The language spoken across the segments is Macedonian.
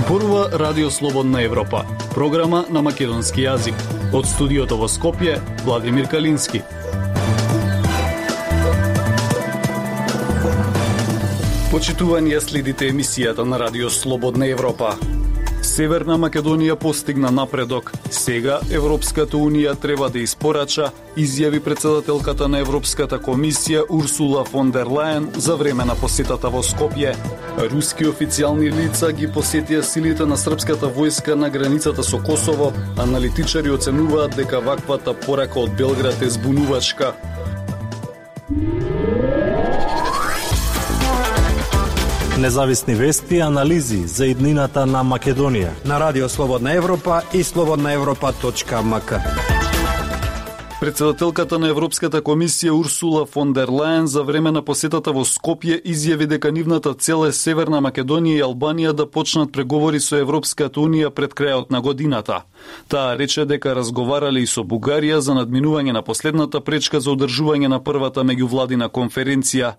Зборува Радио Слободна Европа, програма на македонски јазик. Од студиото во Скопје, Владимир Калински. Почитување, следите емисијата на Радио Слободна Европа. Северна Македонија постигна напредок. Сега Европската Унија треба да испорача, изјави председателката на Европската комисија Урсула фон дер Лајен за време на посетата во Скопје. Руски официјални лица ги посетија силите на српската војска на границата со Косово. Аналитичари оценуваат дека ваквата порака од Белград е збунувачка. Независни вести и анализи за иднината на Македонија на Радио Слободна Европа и slobodnaevropa.mk. Председателката на Европската комисија Урсула фон дер Лајен за време на посетата во Скопје изјави дека нивната цел е Северна Македонија и Албанија да почнат преговори со Европската Унија пред крајот на годината. Таа рече дека разговарале и со Бугарија за надминување на последната пречка за одржување на првата меѓувладина конференција.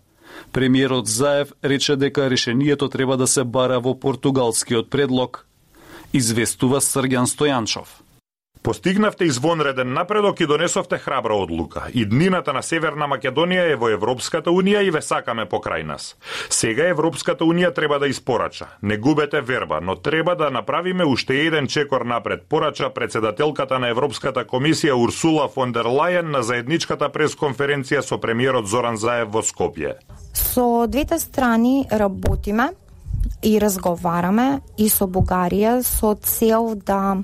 Премиерот Заев рече дека решението треба да се бара во португалскиот предлог. Известува Срѓан Стојанчов. Постигнавте извонреден напредок и донесовте храбра одлука. Иднината на Северна Македонија е во Европската Унија и ве сакаме покрај нас. Сега Европската Унија треба да испорача. Не губете верба, но треба да направиме уште еден чекор напред, порача председателката на Европската комисија Урсула фон дер Лајен на заедничката пресконференција со премиерот Зоран Заев во Скопје. Со двете страни работиме и разговараме и со Бугарија со цел да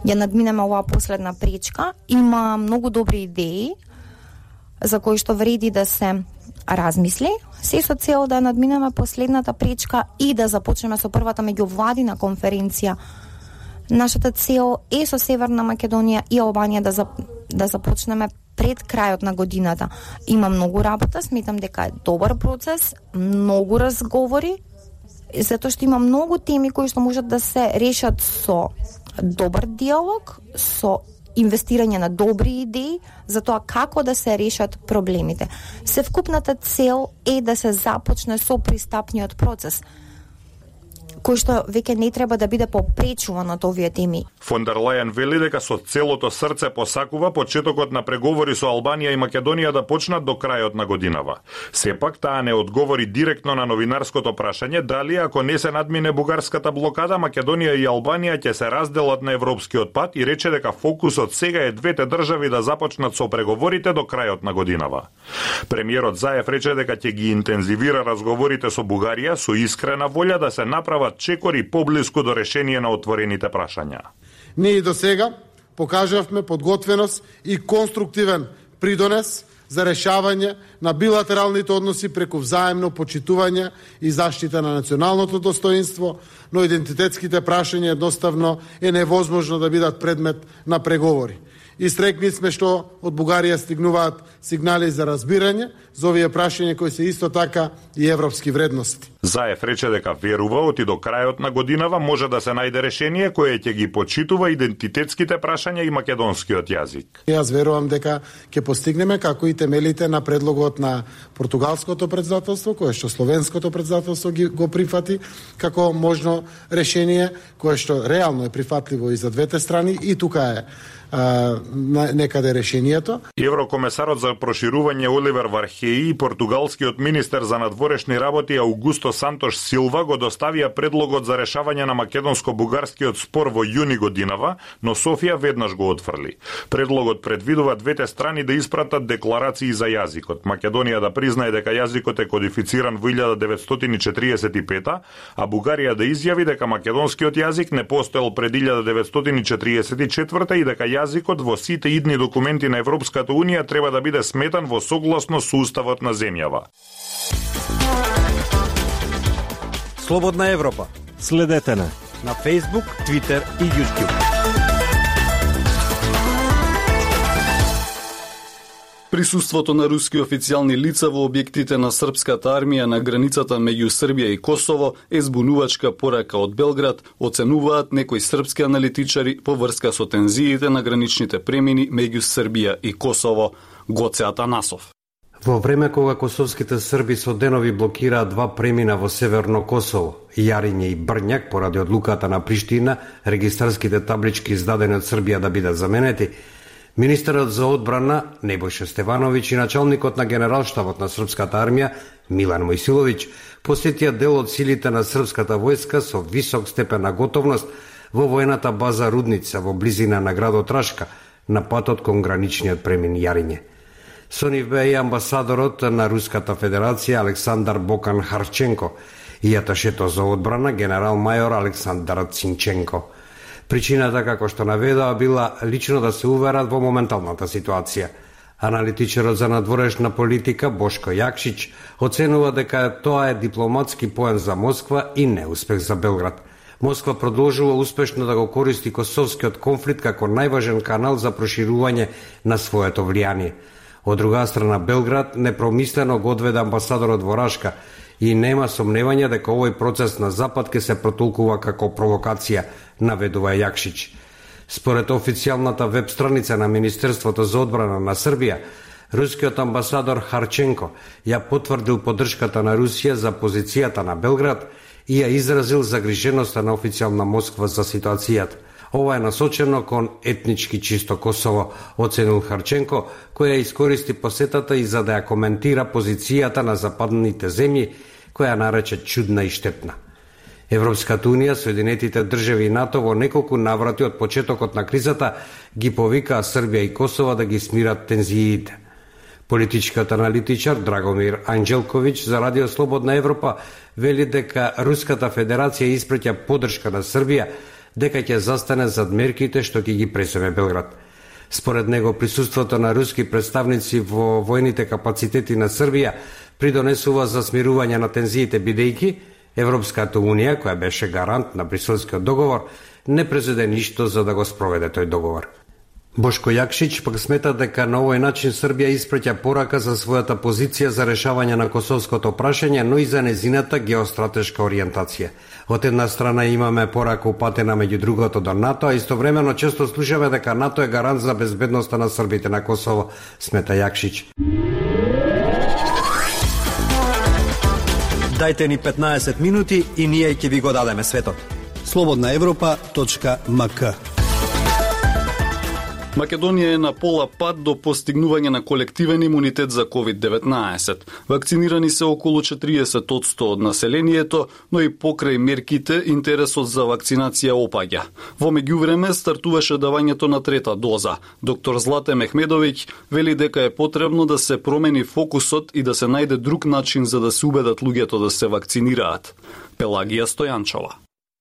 ја надминеме оваа последна пречка. Има многу добри идеи за кои што вреди да се размисли, се со цел да надминеме последната пречка и да започнеме со првата меѓувладина конференција. Нашата цел е со Северна Македонија и Албанија да започнеме пред крајот на годината. Има многу работа, сметам дека е добар процес, многу разговори, затоа што има многу теми кои што можат да се решат со добар диалог, со инвестирање на добри идеи за тоа како да се решат проблемите. Севкупната цел е да се започне со пристапниот процес, кој што веќе не треба да биде попречуван од овие теми. Фон дер Лајен вели дека со целото срце посакува почетокот на преговори со Албанија и Македонија да почнат до крајот на годинава. Сепак таа не одговори директно на новинарското прашање дали ако не се надмине бугарската блокада, Македонија и Албанија ќе се разделат на европскиот пат и рече дека фокусот сега е двете држави да започнат со преговорите до крајот на годинава. Премиерот Заев рече дека ќе ги интензивира разговорите со Бугарија со искрена волја да се направат чекори поблиску до решение на отворените прашања. Ние и до сега покажавме подготвеност и конструктивен придонес за решавање на билатералните односи преку взаемно почитување и заштита на националното достоинство, но идентитетските прашања едноставно е невозможно да бидат предмет на преговори. Истрекни сме што од Бугарија стигнуваат сигнали за разбирање за овие прашања кои се исто така и европски вредности. Заев рече дека верува оти до крајот на годинава може да се најде решение кое ќе ги почитува идентитетските прашања и македонскиот јазик. Јас верувам дека ќе постигнеме како и темелите на предлогот на португалското председателство, кое што словенското председателство го прифати како можно решение кое што реално е прифатливо и за двете страни и тука е некаде решението. Еврокомесарот за проширување Оливер Вархеи и португалскиот министер за надворешни работи Аугусто Сантош Силва го доставија предлогот за решавање на македонско-бугарскиот спор во јуни годинава, но Софија веднаш го отфрли. Предлогот предвидува двете страни да испратат декларации за јазикот. Македонија да признае дека јазикот е кодифициран во 1945, а Бугарија да изјави дека македонскиот јазик не постоел пред 1944 и дека јазикот во сите идни документи на Европската Унија треба да биде сметан во согласно со уставот на земјава. Слободна Европа. Следете на Facebook, Twitter и YouTube. Присуството на руски официјални лица во објектите на српската армија на границата меѓу Србија и Косово е збунувачка порака од Белград, оценуваат некои српски аналитичари по врска со тензиите на граничните премини меѓу Србија и Косово. Гоце Атанасов. Во време кога косовските срби со денови блокираат два премина во Северно Косово, Јариње и Брњак, поради одлуката на Приштина, регистарските таблички издадени од Србија да бидат заменети, министерот за одбрана Небојша Стевановиќ и началникот на генералштабот на српската армија Милан Мојсиловиќ посетија дел од силите на српската војска со висок степен на готовност во воената база Рудница во близина на градот Рашка, на патот кон граничниот премин Јариње. Со нив беа и амбасадорот на Руската Федерација Александар Бокан Харченко и аташето за одбрана генерал-мајор Александар Цинченко. Причината, како што наведоа, била лично да се уверат во моменталната ситуација. Аналитичарот за надворешна политика Бошко Јакшиć оценува дека тоа е дипломатски поен за Москва и неуспех за Белград. Москва продолжува успешно да го користи косовскиот конфликт како најважен канал за проширување на своето влијание. Од друга страна, Белград непромислено го одведе амбасадорот во Рашка и нема сомневање дека овој процес на Запад ќе се протолкува како провокација, наведува Јакшиć. Според официјалната веб страница на Министерството за одбрана на Србија, рускиот амбасадор Харченко ја потврдил поддршката на Русија за позицијата на Белград и ја изразил загриженоста на официјална Москва за ситуацијата. Ова е насочено кон етнички чисто Косово, оценил Харченко, која искористи посетата и за да ја коментира позицијата на западните земји, која нарече чудна и штетна. Европската Унија, Соединетите држави и НАТО во неколку наврати од почетокот на кризата ги повикаа Србија и Косово да ги смират тензиите. Политичкиот аналитичар Драгомир Анџелковиќ за Радио Слободна Европа вели дека Руската Федерација испраќа поддршка на Србија дека ќе застане зад мерките што ќе ги пресеме Белград. Според него, присуството на руски представници во војните капацитети на Србија придонесува за смирување на тензиите, бидејќи Европската Унија, која беше гарант на Бриселскиот договор, не презеде ништо за да го спроведе тој договор. Бошко Јакшиć пак смета дека на овој начин Србија испраќа порака за својата позиција за решавање на косовското прашање, но и за незината геостратешка ориентација. Од една страна имаме порака упатена меѓу другото до НАТО, а истовремено често слушаме дека НАТО е гарант за безбедноста на србите на Косово, смета Јакшиć. Дајте ни 15 минути и ние ќе ви го дадеме светот. slobodnaevropa.mk. Македонија е на пола пат до постигнување на колективен имунитет за COVID-19. Вакцинирани се околу 40% од населението, но и покрај мерките интересот за вакцинација опаѓа. Во меѓувреме стартуваше давањето на трета доза. Доктор Злате Мехмедовиќ вели дека е потребно да се промени фокусот и да се најде друг начин за да се убедат луѓето да се вакцинираат. Пелагија Стојанчова.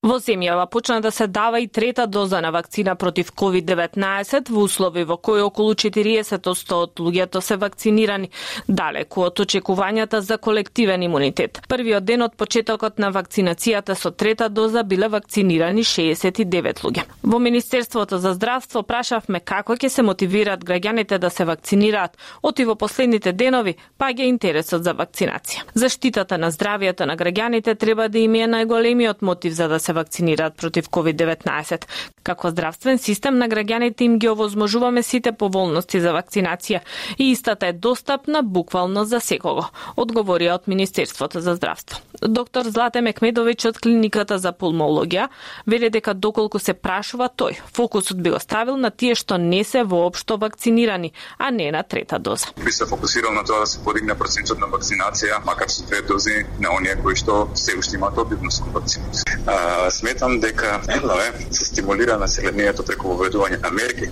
Во земјава почна да се дава и трета доза на вакцина против COVID-19 во услови во кои околу 40% од луѓето се вакцинирани, далеку од очекувањата за колективен имунитет. Првиот ден од почетокот на вакцинацијата со трета доза биле вакцинирани 69 луѓе. Во Министерството за здравство прашавме како ќе се мотивираат граѓаните да се вакцинираат, оти во последните денови паѓа интересот за вакцинација. Заштитата на здравјето на граѓаните треба да им е најголемиот мотив за да се вакцинираат против COVID-19. Како здравствен систем на граѓаните им ги овозможуваме сите поволности за вакцинација и истата е достапна буквално за секого, одговорија од Министерството за здравство. Доктор Злате Мехмедовиќ од клиниката за пулмологија вели дека доколку се прашува тој, фокусот би го ставил на тие што не се воопшто вакцинирани, а не на трета доза. Би се фокусирал на тоа да се подигне процентот на вакцинација, макар со две дози на оние кои што се уште имаат обидност кон вакцинација. Сметам дека едно е се стимулира населението преку воведување на мерки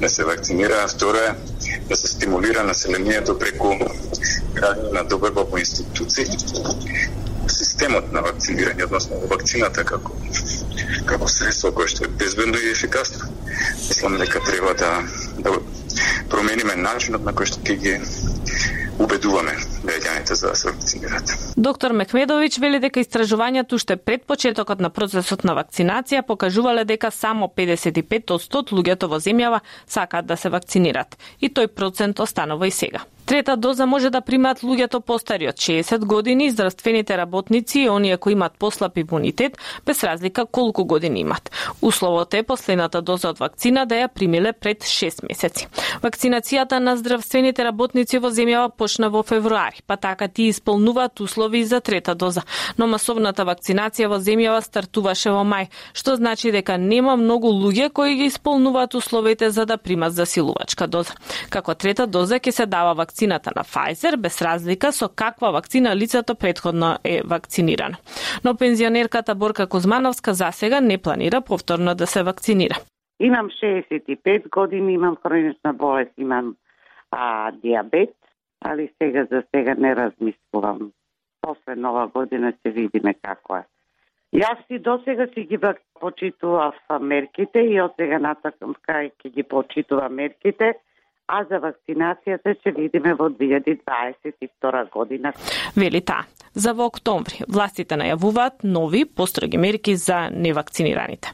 да се вакцинира, а второ е да се стимулира населението преку градење на доверба во институции. Системот на вакцинирање, односно вакцината како средство кое што е безбедно и ефикасно. Мислам дека треба да промениме начинот на кој што ќе ги убедуваме граѓаните за да се вакцинираат. Доктор Мехмедовиќ вели дека истражувањето уште пред почетокот на процесот на вакцинација покажувале дека само 55% од луѓето во земјава сакаат да се вакцинираат и тој процент останува и сега. Трета доза може да примаат луѓето постари од 60 години, здравствените работници и оние кои имаат послаб имунитет, без разлика колку години имат. Условот е последната доза од вакцина да ја примиле пред 6 месеци. Вакцинацијата на здравствените работници во земјава почна во февруари, па така тие исполнуваат услови за трета доза. Но масовната вакцинација во земјава стартуваше во мај, што значи дека нема многу луѓе кои ги исполнуваат условите за да примат засилувачка доза. Како трета доза ќе се дава вакцината на Pfizer, без разлика со каква вакцина лицето претходно е вакцинирано. Но пензионерката Борка Кузмановска засега не планира повторно да се вакцинира. Имам 65 години, имам хронична болест, имам диабет, али за сега не размислувам. После нова година ќе видиме како е. Јас и досега си ги почитував мерките и од сега натакам кај ќе ги почитувам мерките, а за вакцинацијата ќе видиме во 2022 година. Вели таа. За во октомври властите најавуваат нови построги мерки за невакцинираните.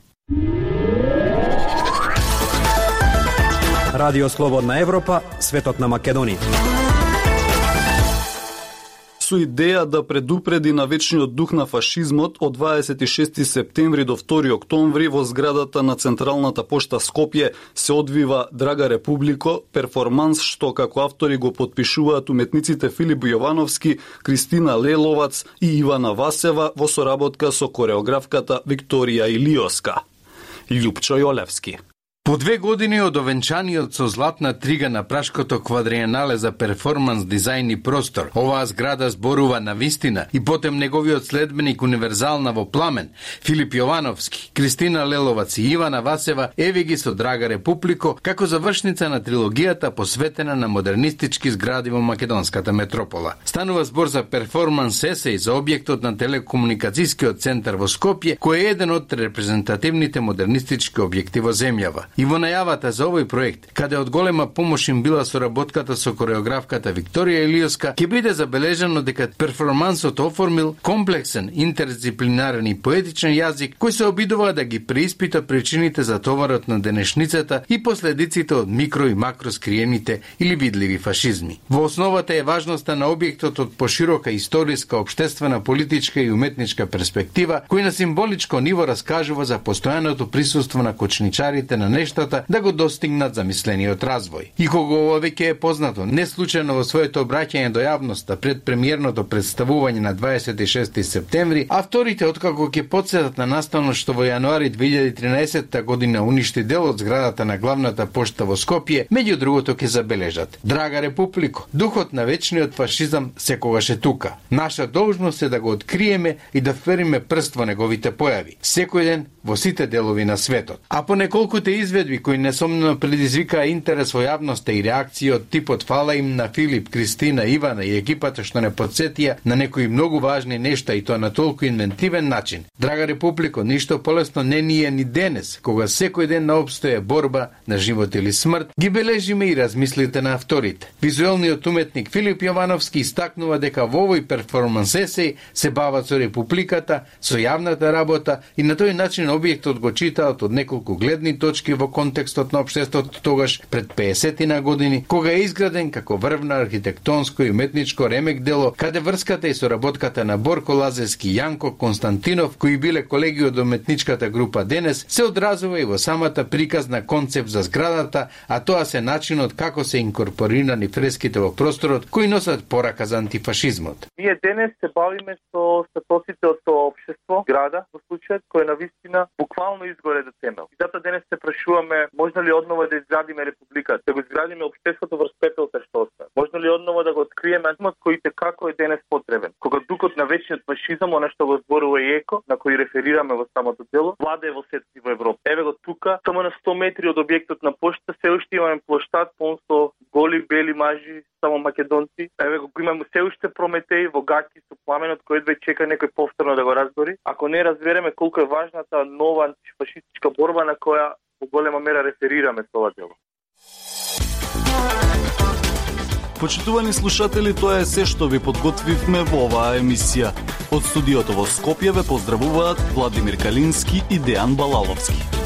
Радио Слободна Европа, светот на Македонија. Со идеја да предупреди на вечниот дух на фашизмот, од 26 септември до 2 октомври во зградата на Централната пошта Скопје се одвива Драга Републико, перформанс што како автори го потпишуваат уметниците Филип Јовановски, Кристина Леловац и Ивана Васева во соработка со кореографката Викторија Илиоска. Љупчо Јолевски. По 2 години од овенчаниот со златна трига на Прашкото квадриенале за перформанс, дизајн и простор, оваа зграда зборува на вистина и потем неговиот следбеник универзална во пламен, Филип Јовановски, Кристина Леловац и Ивана Васева, еви ги со Драга Републико, како завршница на трилогијата посветена на модернистички згради во македонската метропола. Станува збор за перформанс есеј за објектот на телекомуникацијскиот центар во Скопје, кој е еден од репрезентативните модернистички објекти во земјава. И во најавата за овој проект, каде од голема помош им била соработката со кореографката Викторија Илиоска, ќе биде забележано дека перформансот оформил комплексен, интердисциплинарен и поетичен јазик, кој се обидува да ги преиспита причините за товарот на денешницата и последиците од микро и макро скриените или видливи фашизми. Во основата е важноста на објектот од поширока историска, обштествена, политичка и уметничка перспектива, кој на символичко ниво раскажува за постојаното присуство на кочничарите на нештата да го достигнат замислениот развој. И кога ова веќе е познато, не случајно во своето обраќање до јавноста пред премиерното представување на 26 септември, авторите откако ќе потсетат на настанот што во јануари 2013 година уништи дел од зградата на главната пошта во Скопје, меѓу другото ќе забележат: Драга Републико, духот на вечниот фашизам секогаш е тука. Наша должност е да го откриеме и да впериме прст во неговите појави, секој ден во сите делови на светот. А по неколкуте изведби кои несомнено предизвикаа интерес во јавноста и реакции од типот фала им на Филип, Кристина, Ивана и екипата што не подсетија на некои многу важни нешта и тоа на толку инвентивен начин. Драга Републико, ништо полесно не ни е ни денес, кога секој ден на обстоја борба на живот или смрт, ги бележиме и размислите на авторите. Визуелниот уметник Филип Јовановски истакнува дека во овој перформанс есеј се бават со Републиката, со јавната работа и на тој начин објектот го читаат од неколку гледни точки во контекстот на општеството тогаш пред 50 години, кога е изграден како врвна архитектонско и уметничко ремек дело, каде врската и соработката на Борко Лазевски и Јанко Константинов, кои биле колеги од уметничката група денес, се одразува и во самата приказна концепт за зградата, а тоа се начинот како се инкорпорирани фреските во просторот кои носат порака за антифашизмот. Ние денес се бавиме со статусите од тоа општество, града, во случајот кој навистина буквално изгоре до темел. И затоа денес се прашуваме, можно ли однова да изградиме Републиката, да го изградиме општеството врз пепелта што остава. Можно ли однова да го откриеме антимот кој како е денес потребен. Кога духот на вечниот фашизам, она што го зборува и Еко, на кој реферираме во самото дело, влада е во светот и во Европа. Еве го тука, само на 100 метри од објектот на пошта, се уште имаме плоштад полн со голи бели мажи, само македонци. Еве го имаме се уште Прометеј во гаќи со пламенот кој едва чека некој повторно да го разбори. Ако не разбереме колку е важната нова антифашистичка борба на која во голема мера реферираме со ова дело. Почитувани слушатели, тоа е се што ви подготвивме во оваа емисија. Од студиото во Скопје ве поздравуваат Владимир Калински и Дејан Балаловски.